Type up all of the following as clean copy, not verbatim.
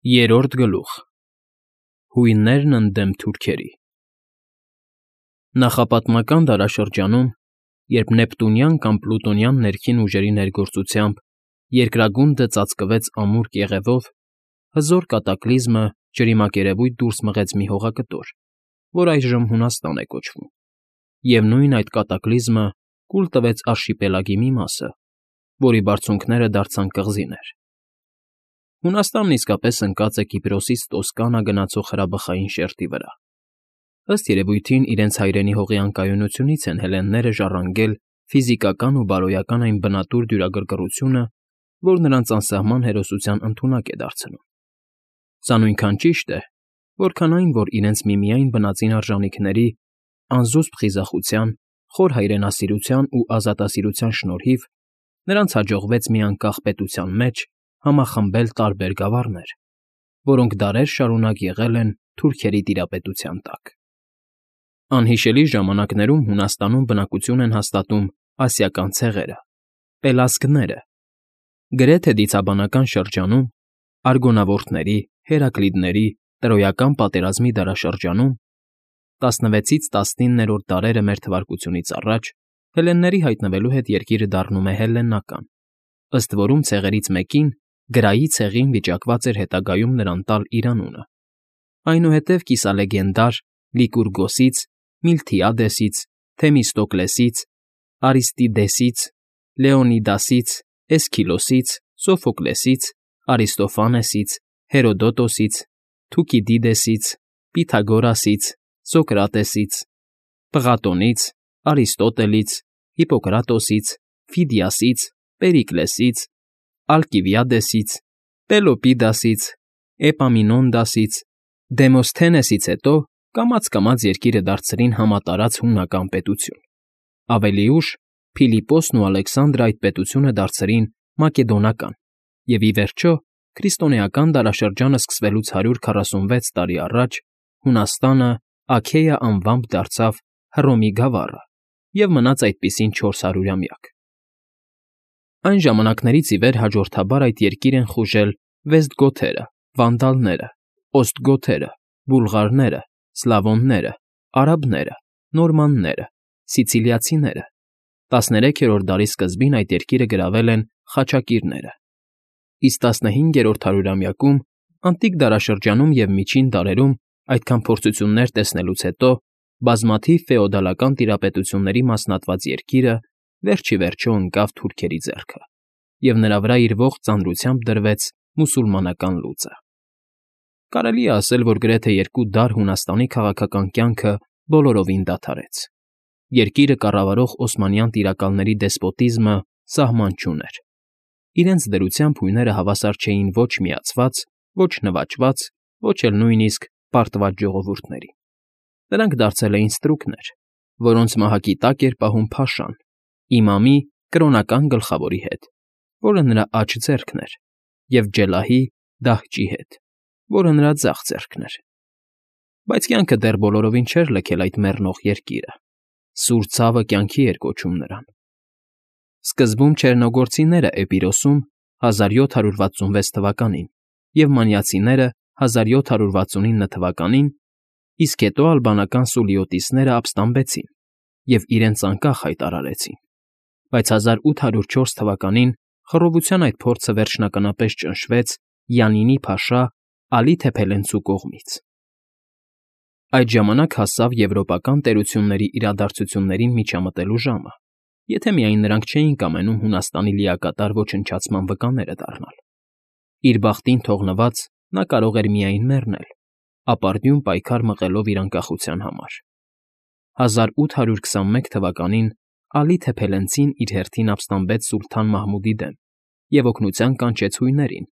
Երրորդ գլուխ Հույններն ընդդեմ թուրքերի Նախապատմական դարաշրջանում, երբ նեպտունյան կամ պլուտոնյան ներքին ուժերի ներգործությամբ երկրագունդը ծածկվեց ամուր կեղևով, հզոր կատակլիզմը ջրիմակերևույթ դուրս մղեց մի հողակտոր, որ այժմ Հունաստան է կոչվում, և նույն այդ կատակլիզմը կուլ տվեց արշիպելագի մի մասը, որի բարձունքները դարձան կղզիներ։ Հունաստանն իսկապես ընկած է Կիպրոսից Տոսկանա գնացող հրաբխային շերտի վրա։ Ըստ երևույթին իրենց հայրենի հողի անկայունությունից են հելլենները ժառանգել ֆիզիկական ու բարոյական այն բնատուր դյուրագրգռությունը, որ նրանց անսահման հերոսության ընդունակ է դարձնում։ Սա նույնքան ճիշտ է, որքան այն, որ իրենց միմիայն բնածին արժանիքների, անզուսպ խիզախության, խոր հայրենասիրության ու ազատասիրության շնորհիվ նրանց հաջողվեց մի անկախ պետության մեջ համախմբել տարբեր գավառներ, որոնք դարեր շարունակ եղել են թուրքերի տիրապետության տակ։ Անհիշելի ժամանակներում Հունաստանում բնակություն են հաստատում ասիական ցեղերը՝ պելասգները, գրեթե դիցաբանական շրջանում, արգոնավորդների, հերակլիդների, տրոյական պատերազմի դարաշրջանում, 16-ից 19-րդ դարերը մեր թվարկությունից առաջ հելլենների հայտնվելու հետ երկիրը դառնում է հելլենական, ըստ որում ցեղերից մեկին, Գրայի ցեղին վիճակված էր հետագայում նրան տալ իր անունը, այնուհետև կիսալեգենդար Լիկուրգոսից, Միլթիադեսից, Թեմիստոկլեսից, Արիստիդեսից, Լեոնիդասից, Էսքիլոսից, Սոֆոկլեսից, Արիստոֆանեսից, Հերոդոտոսից, Թուկիդիդեսից, Պիթագորասից, Սոկրատեսից, Պղատոնից, Արիստոտելից, Հիպոկրատոսից, Ֆիդիասից, Պերիկլեսից, Ալկիվիադեսից, Պելոպիդասից, Էպամինոնդասից, Դեմոսթենեսից հետո կամաց երկիրը դարձրին համատարած հունական պետություն։ Ավելի ուշ Փիլիպոսն ու Ալեքսանդրը այդ պետությունը դարձրին մակեդոնական, և ի վերջո, քրիստոնեական դարաշրջանը սկսվելուց 146 տարի առաջ Հունաստանը Աքեյա անվամբ դարձավ Հռոմի գավառը և մնաց այդպիսին 400-ամյակ։ Այն ժամանակներից ի վեր հաջորդաբար այդ երկիր են խուժել վեստգոթերը, վանդալները, օստգոթերը, բուլղարները, սլավոնները, արաբները, նորմանները, սիցիլիացիները։ 13-րդ դարի սկզբին այդ երկիրը գրավել են խաչակիրները, իսկ 15-րդ հարյուրամյակում, անտիկ դարաշրջանում և միջին դարերում այդքան փորձություններ տեսնելուց հետո բազմաթիվ ֆեոդալական տիրապետությունների մասնատված երկիրը վերջ ի վերջո ընկավ թուրքերի ձեռքը, և նրա վրա իր ողջ ծանրությամբ դրվեց մուսուլմանական լուծը։ Կարելի է ասել, որ գրեթե 2 դար Հունաստանի քաղաքական կյանքը բոլորովին դադարեց։ Երկիրը կառավարող օսմանյան տիրակալների դեսպոտիզմը սահման չուներ։ Իրենց դրությամբ հույները հավասար չէին ոչ միացված, ոչ նվաճված, ոչ էլ նույնիսկ պարտված ժողովուրդների։ Նրանք դարձել էին ստրուկներ, որոնց մահակի տակ էր պահում փաշան, իմամի կրոնական գլխավորի հետ, որը նրա աջ ձեռքն էր, և ջելահի դահճի հետ, որը նրա ձախ ձեռքն էր։ Բայց կյանքը դեռ բոլորովին չէր լքել այդ մեռնող երկիրը, սուր ցավը կյանքի էր կոչում նրան։ Սկզբում չեռնոգորցիները Էպիրոսում 1766 թվականին և մանիացիները 1769 թվականին, իսկ հետո ալբանական սուլիոտիսները ապստամբեցին և իրենց անկախ հայտարարեցին, բայց 1804 թվականին խռովության այդ փորձը վերջնականապես ճնշվեց Յանինի փաշա Ալի Թեփելենցու կողմից։ Այդ ժամանակ հասավ եվրոպական տերությունների իրադարձություններին միջամտելու ժամը, եթե միայն նրանք չէին կամենում Հունաստանի լիակատար ոչնչացման վկաները դառնալ։ Իր բախտին թողնված նա կարող էր միայն մեռնել, ապարդյուն պայքար մղելով իր անկախության համար։ 1821 թվականին Ալի Թեփելենցին իր հերթին ապստամբեց սուլթան Մահմուդի դեմ և օգնության կանչեց հույներին,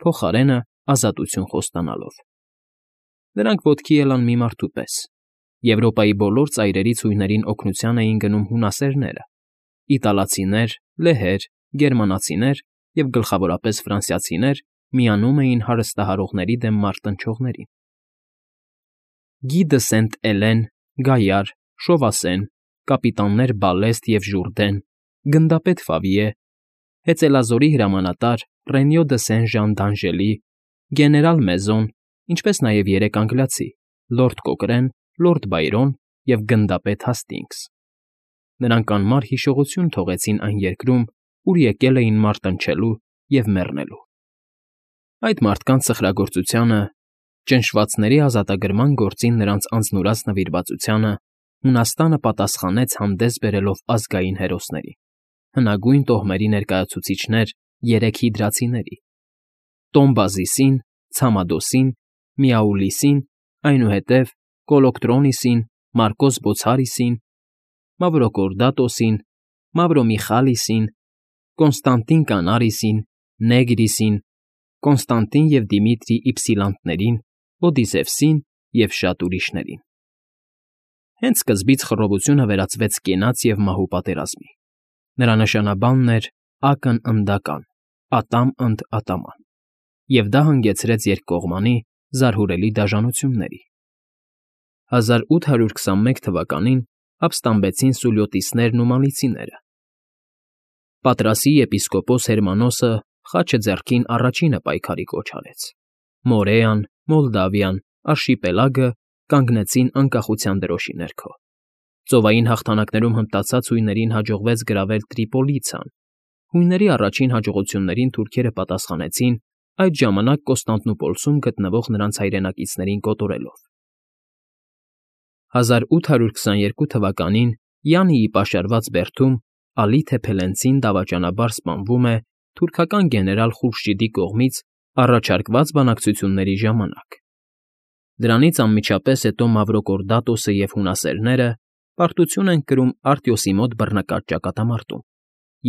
փոխարենը ազատություն խոստանալով։ Նրանք ոտքի ելան մի մարդու պես։ Եվրոպայի բոլոր ծայրերից հույներին օգնության էին գնում հունասերները, իտալացիներ, լեհեր, գերմանացիներ և գլխավորապես ֆրանսիացիներ միանում էին հարստահարողների դեմ մարտնչողներին։ Գի դը Սենտ֊Էլեն, Գայար, Շովասեն, կապիտաններ Բալեստ և Ժուրդեն, գնդապետ Ֆավիե, հեծելազորի հրամանատար Ռենյո դը Սեն֊Ժան դ'Անժելի, գեներալ Մեզոն, ինչպես նաև 3 անգլիացի՝ լորդ Կոկրեն, լորդ Բայրոն և գնդապետ Հասթինգս։ Նրանք անմար հիշողություն թողեցին այն երկրում, ուր եկել էին մարտնչելու և մեռնելու։ Այդ մարդկանց սխրագործությանը, ճնշվածների ազատագրման գործին նրանց անձնուրաց նվիրվածությանը Հունաստանը պատասխանեց հանդես բերելով ազգային հերոսներին, հնագույն տոհմերի ներկայացուցիչներ 3 հիդրացիների՝ Տոմբազիսին, Ցամադոսին, Միաուլիսին, այնուհետև Կոլոկտրոնիսին, Մարկոս Բոցարիսին, Մավրոկորդատոսին, Մավրոմիխալիսին, Կոնստանտին Կանարիսին, Նեգրիսին, Կոնստանտին և Դիմիտրի Իպսիլանտներին, Օդիսևսին և շատ ուրիշներին։ Հենց սկզբից խռովությունը վերածվեց կենաց և մահու պատերազմի։ Նրա նշանաբանն էր «Ակն ընդական, ատամ ընդ ատաման», և դա հանգեցրեց երկկողմանի զարհուրելի դաժանությունների։ 1821 թվականին ապստամբեցին սուլյոտիսներն ու մանիցիները։ Պատրասի եպիսկոպոս Հերմանոսը խաչը ձեռքին առաջինը պայքարի կոչ արեց։ Մորեան, Մոլդավիան, Արշիպելագը կանգնեցին անկախության դրոշի ներքո։ Ծովային հաղթանակներում հմտացած հույներին հաջողվեց գրավել Տրիպոլիցան։ Հույների առաջին հաջողություններին թուրքերը պատասխանեցին այդ ժամանակ Կոստանդնուպոլսում գտնվող նրանց հայրենակիցներին կոտորելով։ 1822 թվականին Յանիի պաշարված Բերդում Ալի Թեփելենցին դավաճանաբար սպանվում է թուրքական գեներալ Խուրշիդի կողմից առաջարկված բանակցությունների ժամանակ։ Դրանից անմիջապես հետո Մավրոկորդատոսը և հունասերները պարտություն են կրում Արտյոսի մոտ բռնկած ճակատամարտում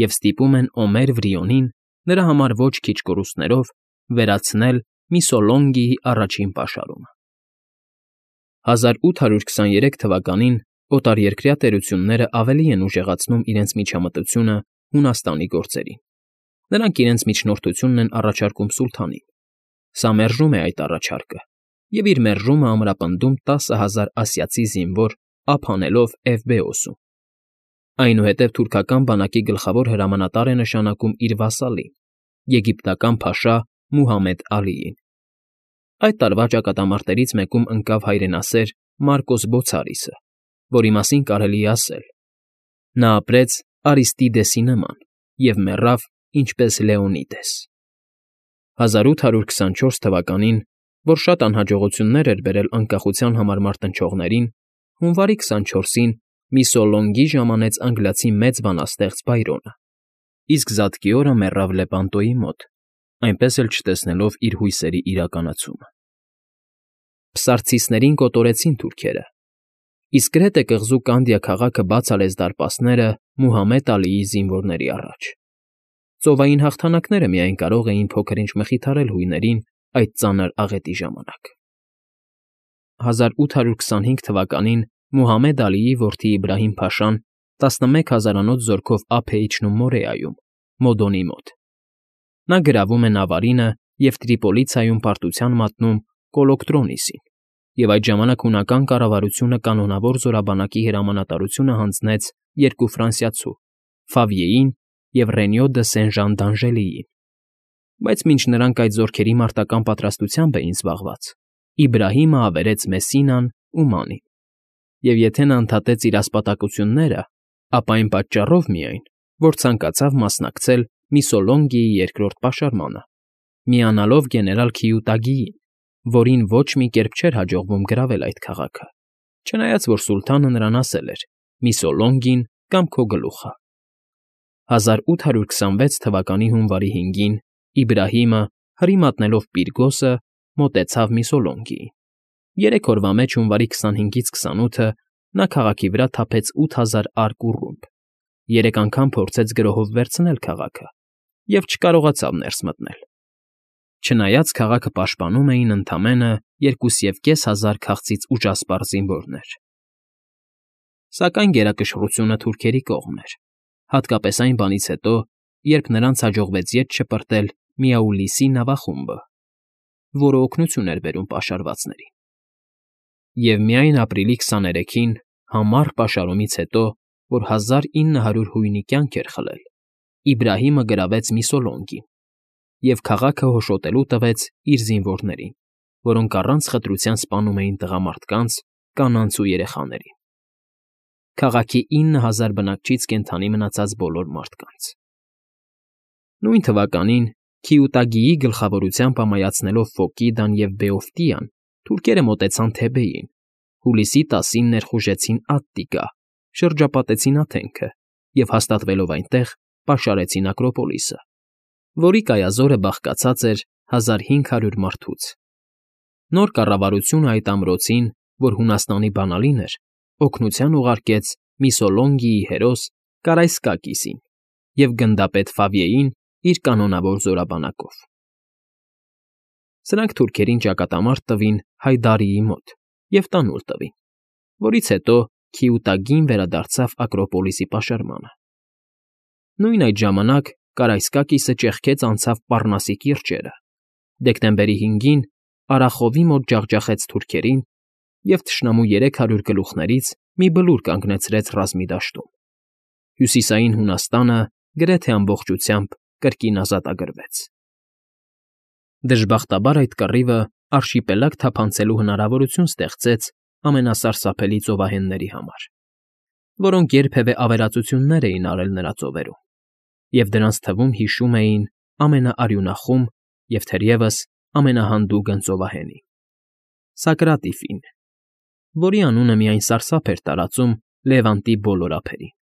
և ստիպում են Օմեր Վրիոնին նրա համար ոչ քիչ կորուստներով վերացնել Միսոլոնգիի առաջին պաշարումը։ 1823 թվականին օտարերկրյա տերությունները ավելի են ուժեղացնում իրենց միջամտությունը Հունաստանի գործերին։ Նրանք իրենց միջնորդությունն են առաջարկում սուլթանին։ Սա մերժում է այդ առաջարկը և իր մերժումը ամրապնդում 10,000 ասիացի զինվոր ափ անելով Էվբեոսում։ Այնուհետև թուրքական բանակի գլխավոր հրամանատար է նշանակում իր վասալին՝ եգիպտական փաշա Մուհամեդ Ալիին։ Այդ տարվա ճակատամարտերից մեկում ընկավ հայրենասեր Մարկոս Բոցարիսը, որի մասին կարելի է ասել. նա ապրեց Արիստիդեսի նման և մեռավ ինչպես Լեոնիդես։ 1824 թվականին, որ շատ անհաջողություններ էր բերել անկախության համար մարտնչողներին, հունվարի 24-ին Միսոլոնգի ժամանեց անգլիացի մեծ բանաստեղծ Բայրոնը, իսկ զատկի օրը մեռավ Լեպանտոյի մոտ, այնպես էլ չտեսնելով իր հույսերի իրականացումը։ Փսարցիստներին կոտորեցին թուրքերը, իսկ Կրետե կղզու Կանդիա քաղաքը բաց արեց դարպասները Մուհամեդ Ալիի զինվորների առաջ։ Ծովային հաղթանակները միայն կարող էին փոքր-ինչ մխիթարել հույներին այդ ծանր աղետի ժամանակ։ 1825 թվականին Մուհամեդ Ալիի որդի Իբրահիմ֊փաշան 11 հազարանոց զորքով ափ է իջնում Մորեայում, Մոդոնի մոտ։ Նա գրավում է Նավարինը և Տրիպոլիցայում պարտության մատնում Կոլոկտրոնիսին, և այդ ժամանակ հունական կառավարությունը կանոնավոր զորաբանակի հրամանատարությունը հանձնեց 2 ֆրանսիացու՝ Ֆավիեին և Ռենյո դը Սեն֊Ժան դ'Անժելիին։ Բայց մինչ նրանք այդ զորքերի մարտական պատրաստությամբ էին զբաղված, Իբրահիմը ավերեց Մեսինան ու Մանին, և եթե նա ընդհատեց իր ասպատակությունները, ապա այն պատճառով միայն, որ ցանկացավ մասնակցել Միսոլոնգիի երկրորդ պաշարմանը, միանալով գեներալ Քիուտագիին, որին ոչ մի կերպ չէր հաջողվում գրավել այդ քաղաքը, չնայած որ սուլթանը նրան ասել էր. «Միսոլոնգին կամ քո գլուխը»։ 1826 թվականի հունվարի 5-ին Իբրահիմը, հրի մատնելով Պիրգոսը, մոտեցավ Միսոլոնգիին։ 3 օրվա մեջ հունվարի 25-ից 28-ը նա քաղաքի վրա թափեց 8000 արկ ու ռումբ, 3 անգամ փորձեց գրոհով վերցնել քաղաքը և չկարողացավ ներս մտնել։ Չնայած քաղաքը պաշտպանում էին ընդամենը 2500 քաղցից ուժասպառ զինվորներ։ Սակայն գերակշռությունը թուրքերի կողմն էր, հատկապես այն բանից հետո, երբ նրանց հաջողվեց ետ շպրտել Միաուլիսի նավախումբը, որը օգնություն էր բերում պաշարվածներին։ Եվ միայն ապրիլի 23-ին, համառ պաշարումից հետո, որ 1900 հույնի կյանք էր խլել, Իբրահիմը գրավեց Միսոլոնգին, և քաղաքը հոշոտելու տվեց իր զինվորներին, որոնք առանց խտրության սպանում էին տղամարդկանց, կանանց ու երեխաներին։ Քաղաքի 9000 բնակչից կենդանի մնացած բոլոր մարդկանց։ Նույն թվականին Քիուտագիի գլխավորությամբ ամայացնելով Ֆոկիդան և Բեոֆտիան, թուրքերը մոտեցան Թեբեին, հուլիսի 10-ին ներխուժեցին Ատտիկա, շրջապատեցին Աթենքը և հաստատվելով այնտեղ, պաշարեցին Ակրոպոլիսը, որի կայազորը բաղկացած էր 1500 մարդուց։ Նոր կառավարությունը այդ ամրոցին, որ Հունաստանի բանալին էր, օգնության ուղարկեց Միսոլոնգիի հերոս Կարայսկակիսին և գնդապետ Ֆավիեին իր կանոնավոր զորաբանակով։ Սրանք թուրքերին ճակատամարտ տվին Հայդարիի մոտ և տանուլ տվին, որից հետո Քիուտագին վերադարձավ Ակրոպոլիսի պաշարմանը։ Նույն այդ ժամանակ Կարայսկակիսը ճեղքեց անցավ Պառնասի կիրճերը, դեկտեմբերի 5-ին Արախովի մոտ ջախջախեց թուրքերին և թշնամու 300 գլուխներից մի բլուր կանգնեցրեց ռազմի դաշտում։ Հյուսիսային Հունաստանը գրեթե ամբողջությամբ կրկին ազատագրվեց։ Դժբախտաբար այդ կռիվը արշիպելագ թափանցելու հնարավորություն ստեղծեց ամենասարսափելի ծովահենների համար, որոնք երբևէ ավերածություններ էին արել նրա ծովերում, և դրանց թվում հիշում էին ամենաարյունախում և թերևս ամենահանդուգն ծովահենին՝ Սակրատիֆին, որի անունը միայն սարսափ էր տարածում Լևանտի բոլոր ափերին։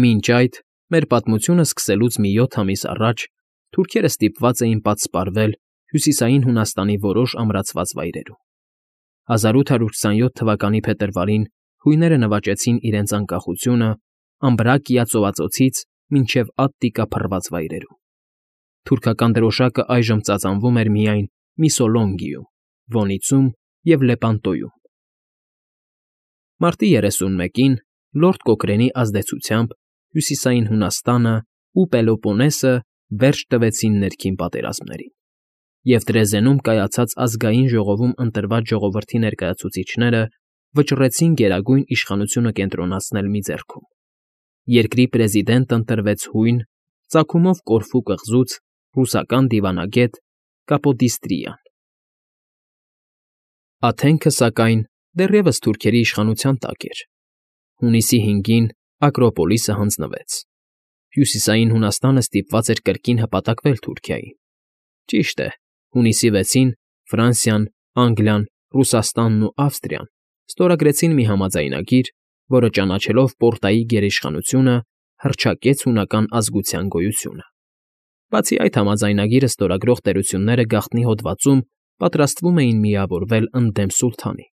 Մինչ այդ, մեր պատմությունը սկսելուց մի 7 ամիս առաջ թուրքերը ստիպված էին պատսպարվել Հյուսիսային Հունաստանի որոշ ամրացված վայրերում։ 1827 թվականի փետրվարին հույները նվաճեցին իրենց անկախությունը Ամբրակիա ծովածոցից մինչև Ատտիկա փռված վայրերում։ Թուրքական դրոշակը այժմ ծածանվում էր միայն Միսոլոնգիում, Վոնիցում և Լեպանտոյում։ Մարտի 31-ին Լորդ Կոքրենի ազդեցությամբ Հյուսիսային Հունաստանը ու Պելոպոնեսը վերջ տվեցին ներքին պատերազմներին, և Դրեզենում կայացած ազգային ժողովում ընտրված ժողովրդի ներկայացուցիչները վճռեցին Գերագույն Իշխանությունը կենտրոնացնել մի ձեռքում։ Երկրի պրեզիդենտ ընտրվեց հույն, ծագումով Կորֆու կղզուց ռուսական դիվանագետ Կապոդիստրիան։ Աթենքը, սակայն, դեռևս թուրքերի իշխանության տակ էր։ Հունիսի 5-ին Ակրոպոլիսը հանձնվեց։ Հյուսիսային Հունաստանը ստիպված էր կրկին հպատակվել Թուրքիային։ Ճիշտ է, հունիսի 6-ին Ֆրանսիան, Անգլիան, Ռուսաստանն ու Ավստրիան ստորագրեցին մի համաձայնագիր, որը ճանաչելով Պորտայի գերիշխանությունը, հռչակեց հունական ազգության գոյությունը։ Բացի այդ, համաձայնագիրը ստորագրող տերությունները գաղտնի հոդվածում պատրաստվում էին միավորվել ընդդեմ սուլթանի,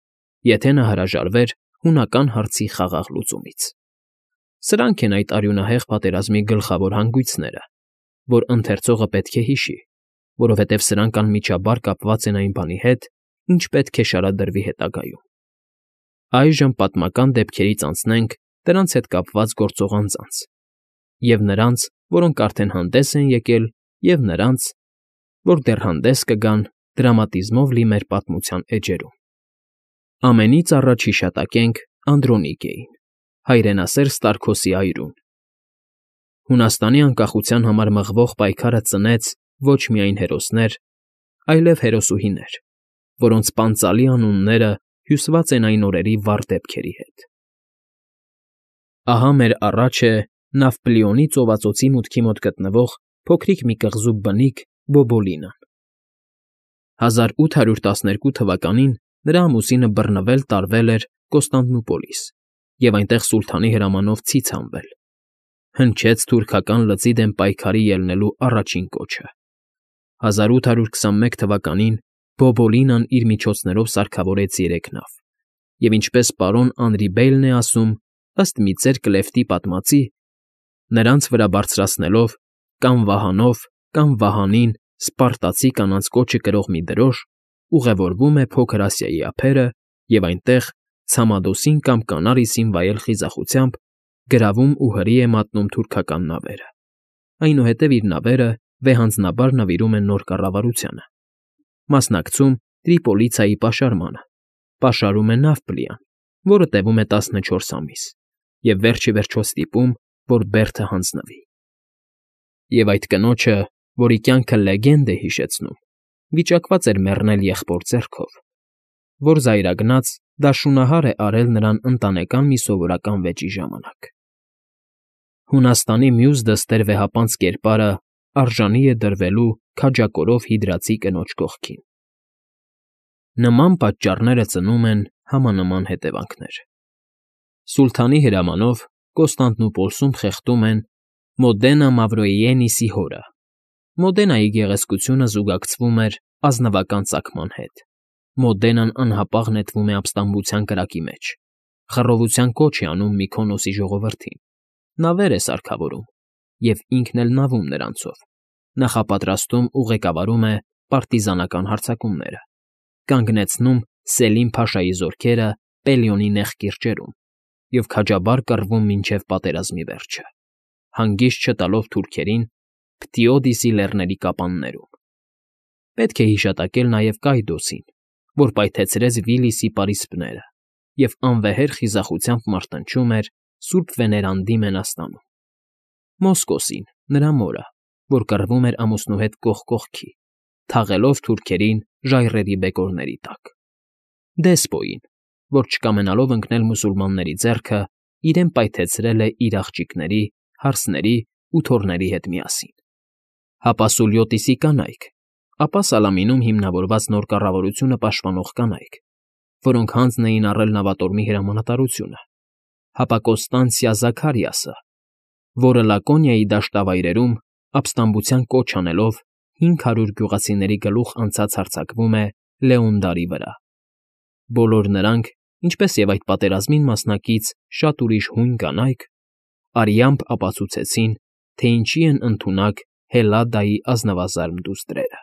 եթե նա հրաժարվեր հունական հարցի խաղաղ լուծումից։ Սրանք են այդ արյունահեղ պատերազմի գլխավոր հանգույցները, որ ընթերցողը պետք է հիշի, որովհետև սրանք անմիջաբար կապված են այն բանի հետ, ինչ պետք է շարադրվի հետագայում։ Այժմ պատմական դեպքերից անցնենք դրանց հետ կապված գործող անձանց, և նրանց, որոնք արդեն հանդես են եկել, և նրանց, որ դեռ հանդես կգան դրամատիզմով լի մեր պատմության էջերում։ Ամենից առաջ հիշատակենք Անդրոնիկեին, հայրենասեր Ստարքոսի այրուն։ Հունաստանի անկախության համար մղվող պայքարը ծնեց ոչ միայն հերոսներ, այլև հերոսուհիներ, որոնց պանծալի անունները հյուսված են այն օրերի վառ դեպքերի հետ։ Ահա մեր առաջ է Նավպլիոնի ծովածոցի մուտքի մոտ գտնվող փոքրիկ մի կղզու բնիկ Բոբոլինան։ 1812 թվականին նրա ամուսինը բռնվել տարվել էր Կոստանդնուպոլիս և այնտեղ սուլթանի հրամանով ցից հանվել։ Հնչեց թուրքական լծի դեմ պայքարի ելնելու առաջին կոչը։ 1821 թվականին Բոբոլինան իր միջոցներով սարքավորեց 3 նավ, և ինչպես պարոն Անրի Բեյլն է ասում, ըստ մի ծեր Կլեֆտի պատմածի, նրանց վրա բարձրացնելով կամ վահանով, կամ վահանին սպարտացի կանանց կոչը կրող մի դրոշ, ուղևորվում է Փոքր Ասիայի ափերը և այնտեղ, Ցամադոսին կամ Կանարիսին վայել խիզախությամբ, գրավում ու հրի է մատնում թուրքական նավերը։ Այնուհետև իր նավերը վեհանձնաբար նվիրում են նոր կառավարությանը, մասնակցում Տրիպոլիցայի պաշարմանը, պաշարում է Նավպլիան, որը տևում է 14 ամիս, և վերջ ի վերջո ստիպում, որ Բերդը հանձնվի։ Եվ այդ կնոջը, որի կյանքը լեգենդ է հիշեցնում, վիճակված էր մեռնել եղբոր ձեռքով, որ զայրագնաց դա շունահար է արել նրան ընտանեկան մի սովորական վեճի ժամանակ։ Հունաստանի մյուս դստեր վեհապանծ կերպարը արժանի է դրվելու քաջակորով Հիդրացի կնոջ կողքին։ Նման պատճառները ծնում են համանման հետևանքներ։ Սուլթանի հրամանով Կոստանդնուպոլսում խեղդում են Մոդենա Մավրոիենիսի հորը։ Մոդենայի գեղեցկությունը զուգակցվում էր ազնվական ծագման հետ։ Մոդենան անհապաղ նետվում է ապստամբության կրակի մեջ։ Խռովության կոչ է անում Մykոնոսի ժողովրդին։ Նավեր է սարքավորում և ինքն էլ նավում նրանցով։ Նախապատրաստում ու ղեկավարում է պարտիզանական հարձակումները։ Կանգնեցնում Սելիմ Փաշայի զորքերը Պելիոնի նեղ կիրճերում և քաջաբար կռվում մինչև պատերազմի վերջը, հանգիստ չտալով թուրքերին Փթիոդիսի լեռների կապաններում։ Պետք է հիշատակել նաև Կայդոսին, որ պայթեցրեց Վիլիսի պարիսպները և անվեհեր խիզախությամբ մարտնչում էր Սուրբ Վեներանդի մենաստանում։ Մոսկոսին, նրա մորը, որ կռվում էր ամուսնու հետ կողք կողքի, թաղելով թուրքերին ժայռերի բեկորների տակ։ Դեսպոյին, որ չկամենալով ընկնել մուսուլմանների ձեռքը, իրեն պայթեցրել է իր աղջիկների, հարսների ու թոռների հետ միասին։ Հապա Սուլյոտիսի կանայք, ապա Սալամինում հիմնավորված նոր կառավարությունը պաշտպանող կանայք, որոնք հանձն էին առել նավատորմի հրամանատարությունը, հապա Կոստանցիա Զաքարիասը, որը Լակոնիայի դաշտավայրերում ապստամբության կոչ անելով 500 գյուղացիների գլուխ անցած հարձակվում է Լեոնդարի վրա։ Բոլոր նրանք, ինչպես և այդ պատերազմին մասնակից շատ ուրիշ հույն կանայք, արյամբ ապացուցեցին, թե ինչի են ընդունակ Հելադայի ազնվազարմ դուստրերը։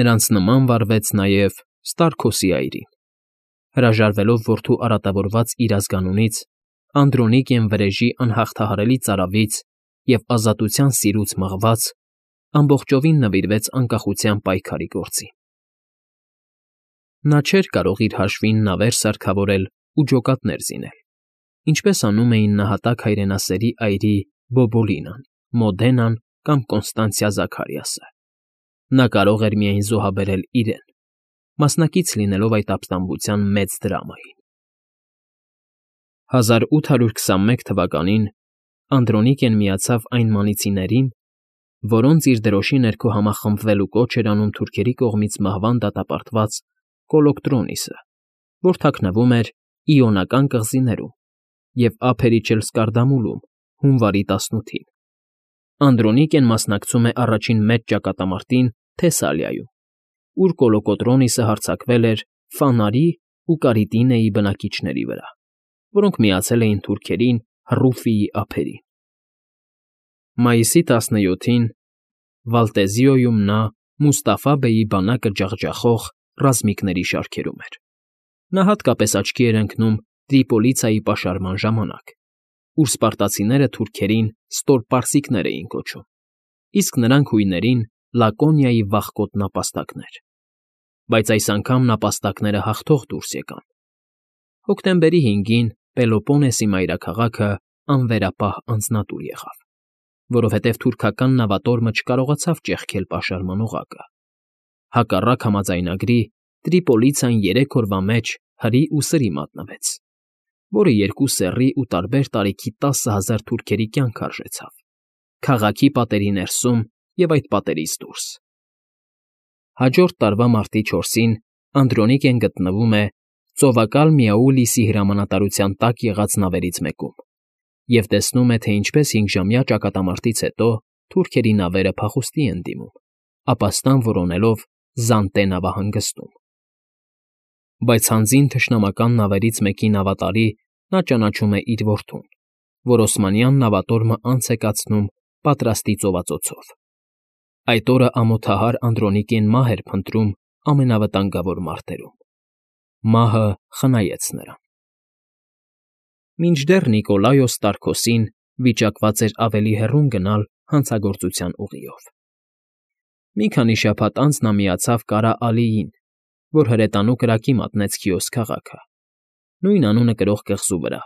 Նրանց նման վարվեց նաև Ստարքոսի այրին։ Հրաժարվելով որդու արատավորված իր ազգանունից, Անդրոնիկեն վրեժի անհաղթահարելի ծարավից և ազատության սիրուց մղված, ամբողջովին նվիրվեց անկախության պայքարի գործին։ Նա չէր կարող իր հաշվին նավեր սարքավորել ու ջոկատներ զինել, ինչպես անում էին նահատակ հայրենասերի այրի Բոբոլինան, Մոդենան կամ Կոնստանցիա Զաքարիասը։ Նա կարող էր միայն զոհաբերել իրեն, մասնակից լինելով այդ ապստամբության մեծ դրամային։ 1821 թվականին Անդրոնիկեն միացավ այն մանիցիներին, որոնց իր դրոշի ներքո համախմբվելու կոչ էր անում թուրքերի կողմից մահվան դատապարտված Կոլոկտրոնիսը, որ թաքնվում էր Իոնական կղզիներում և Ափերիչելսկարդամուլում հունվարի 18-ին։ Անդրոնիկեն մասնակցում է առաջին մեծ ճակատամարտին Թեսալիայում, ուր Կոլոկոտրոնիսը հարձակվել էր Ֆանարի ու Կարիտինեի բնակիչների վրա, որոնք միացել էին թուրքերին Հռուֆիի ափերին։ Մայիսի 17-ին Վալտեզիոյում նա Մուստաֆա բեյի բանակը ջախջախող ռազմիկների շարքերում էր։ Նա հատկապես աչքի էր ընկնում Տրիպոլիցայի պաշարման ժամանակ, ուր սպարտացիները թուրքերին ստորպարսիկներ էին կոչում, իսկ նրանք հույներին Լակոնիայի վախկոտ նապաստակներ։ Բայց այս անգամ նապաստակները հաղթող դուրս եկան։ Հոկտեմբերի 5-ին Պելոպոնեսի մայրաքաղաքը անվերապահ անձնատուր եղավ, որովհետև թուրքական նավատորմը չկարողացավ ճեղքել պաշարման օղակը։ Հակառակ համաձայնագրի Տրիպոլիցան 3 օրվա մեջ հրի ու սրի մատնվեց, որը երկու սեռի ու տարբեր տարիքի 10,000 թուրքերի կյանք արժեցավ, քաղաքի պատերի ներսում և այդ պատերից դուրս։ Հաջորդ տարվա մարտի 4-ին Անդրոնիկեն գտնվում է ծովակալ Միաուլիսի հրամանատարության տակ եղած նավերից մեկում և տեսնում է, թե ինչպես 5-ժամյա ճակատամարտից հետո թուրքերի նավերը փախուստի են դիմում, ապաստան որոնելով Զանտե նավահանգստում։ Բայց հանձին թշնամական նավերից մեկի նավատարի նա ճանաչում է իր որդուն, որ օսմանյան նավատորմը անց է կացնում պատրաստի ծովածոցով։ Այդ օրը ամոթահար Անդրոնիկեն մահ էր փնտրում ամենավտանգավոր մարտերում։ Մահը խնայեց նրան։ Մինչդեռ Նիկոլայոս Տարքոսին վիճակված էր ավելի հեռուն գնալ հանցագործության ուղիով։ Մի քանի շաբաթ անց նա միացավ Կարա Ալիին, որ հրետանու կրակի մատնեց Քիոս քաղաքը, նույն անունը կրող կղզու վրա։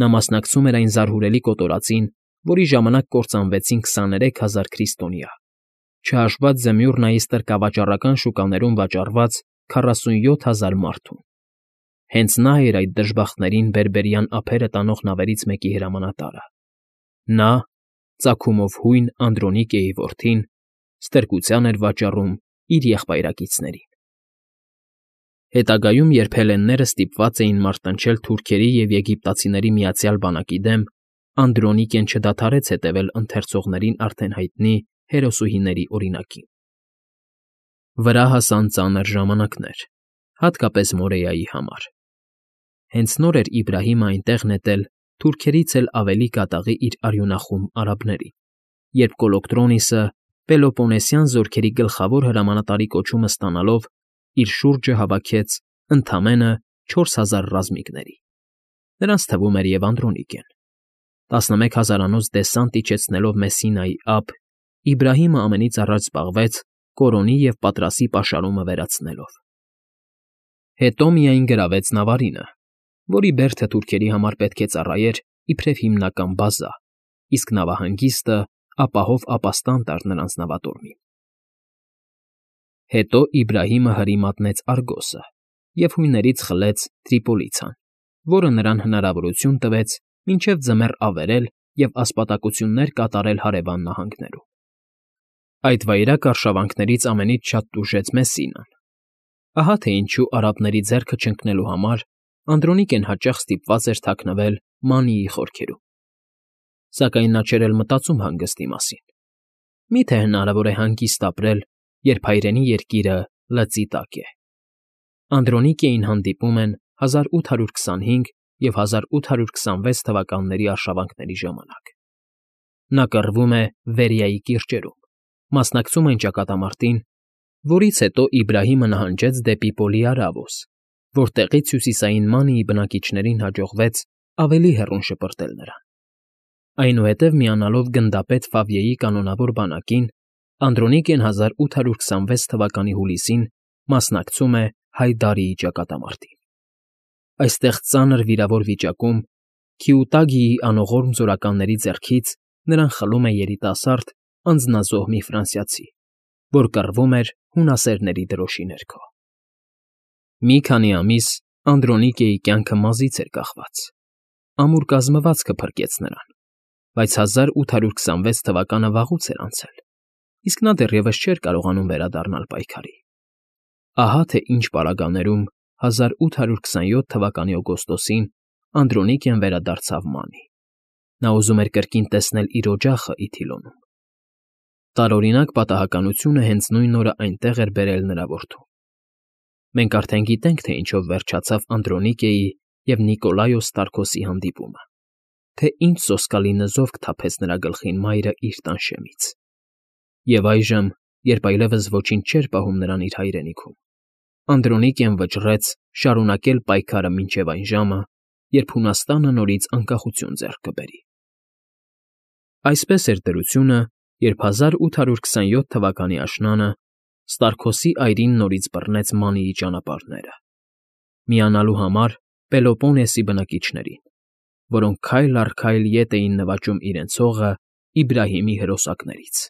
Նա մասնակցում էր այն զարհուրելի կոտորածին, որի ժամանակ կործանվեցին 23,000 քրիստոնյա, չհաշված Զեմյուռնայի ստրկավաճառական շուկաներում վաճառված 47,000 մարդուն։ Հենց նա էր այդ դժբախտներին բերբերյան ափերը տանող նավերից մեկի հրամանատարը։ Նա, ծագումով հույն Անդրոնիկեի որդին, ստրկության էր վաճառում իր եղբայրակիցներին։ Հետագայում, երբ հելլենները ստիպված էին մարտնչել թուրքերի և եգիպտացիների միացյալ բանակի դեմ, Անդրոնիկեն չդադարեց հետևել ընթերցողներին արդեն հայտնի հերոսուհիների օրինակին։ Վրա հասան ծանր ժամանակներ, հատկապես Մորեայի համար։ Հենց նոր էր Իբրահիմը այնտեղ նետել թուրքերից էլ ավելի կատաղի իր արյունախում արաբներին, երբ Կոլոկտրոնիսը Պելոպոնեսյան զորքերի գլխավոր հրամանատարի կոչումը ստանալով իր շուրջը հավաքեց ընդամենը 4000 ռազմիկների։ Նրանց թվում էր և Անդրոնիկեն։ 11,000-անոց դեսանտ իջեցնելով Մեսսինայի ափ, Իբրահիմը ամենից առաջ զբաղվեց Կորոնի և Պատրասի պաշարումը վերացնելով։ Հետո միայն գրավեց Նավարինը, որի բերդը թուրքերի համար պետք է ծառայեր իբրև հիմնական բազա, իսկ նավահանգիստը ապահով ապաստան տար նրանց նավատորմին։ Հետո Իբրահիմը հրի մատնեց Արգոսը և հույներից խլեց Տրիպոլիցան, որը նրան հնարավորություն տվեց մինչև ձմեռ ավերել և ասպատակություններ կատարել հարևան նահանգներում։ Այդ վայրագ արշավանքներից ամենից շատ տուժեց Մեսսինան։ Ահա թե ինչու արաբների ձեռքը չընկնելու համար Անդրոնիկեն հաճախ ստիպված էր թաքնվել Մանիի խորքերում։ Սակայն նա չէր էլ մտածում հանգստի մասին։ Մի՞թե հնարավոր է հանգիստ ապրել, երբ հայրենի երկիրը լծի տակ է։ Անդրոնիկեին հանդիպում են 1825 և 1826 թվականների արշավանքների ժամանակ։ Նա կռվում է Վերիայի կիրճերում, մասնակցում այն ճակատամարտին, որից հետո Իբրահիմը նահանջեց դեպի Պոլիարավոս, որտեղից հյուսիսային Մանիի բնակիչներին հաջողվեց ավելի հեռուն շպրտել նրան։ Այնուհետև միանալով գնդապետ Ֆավիեի կանոնավոր բանակին, Անդրոնիկեն 1826 թվականի հուլիսին մասնակցում է Հայդարիի ճակատամարտին։ Այստեղ ծանր վիրավոր վիճակում Քիուտագիի անողորմ զորականների ձեռքից նրան խլում է երիտասարդ, անձնազոհ մի ֆրանսիացի, որ կռվում էր հունասերների դրոշի ներքո։ Մի քանի ամիս Անդրոնիկեի կյանքը մազից էր կախված։ Ամուր կազմվածքը փրկեց նրան, բայց 1826 թվականը վաղուց էր անցել, իսկ նա դեռևս չէր կարողանում վերադառնալ պայքարի։ Ահա թե ինչ պարագաներում 1827 թվականի օգոստոսին Անդրոնիկեն վերադարձավ Մանի։ Նա ուզում էր կրկին տեսնել իր օջախը Իթիլոնում։ Տարօրինակ պատահականությունը հենց նույն օրը այնտեղ էր բերել նրա որդուն։ Մենք արդեն գիտենք, թե ինչով վերջացավ Անդրոնիկեի և Նիկոլայոս Ստարկոսի հանդիպումը, թե ինչ սոսկալի նզովք թափեց նրա գլխին մայրը իր տանշեմից։ Եվ այժմ, երբ այլևս ոչինչ չէր պահում նրան իր հայրենիքում, Անդրոնիկեն վճռեց շարունակել պայքարը մինչև այն ժամը, երբ Հունաստանը նորից անկախություն ձեռք կբերի։ Այսպես էր դրությունը, երբ 1827 թվականի աշնանը Ստարկոսի այրին նորից բռնեց Մանիի ճանապարհները, միանալու համար Պելոպոնեսի բնակիչներին, որոնք քայլ առ քայլ ետ էին նվաճում իրենց հողը Իբրահիմի հրոսակներից։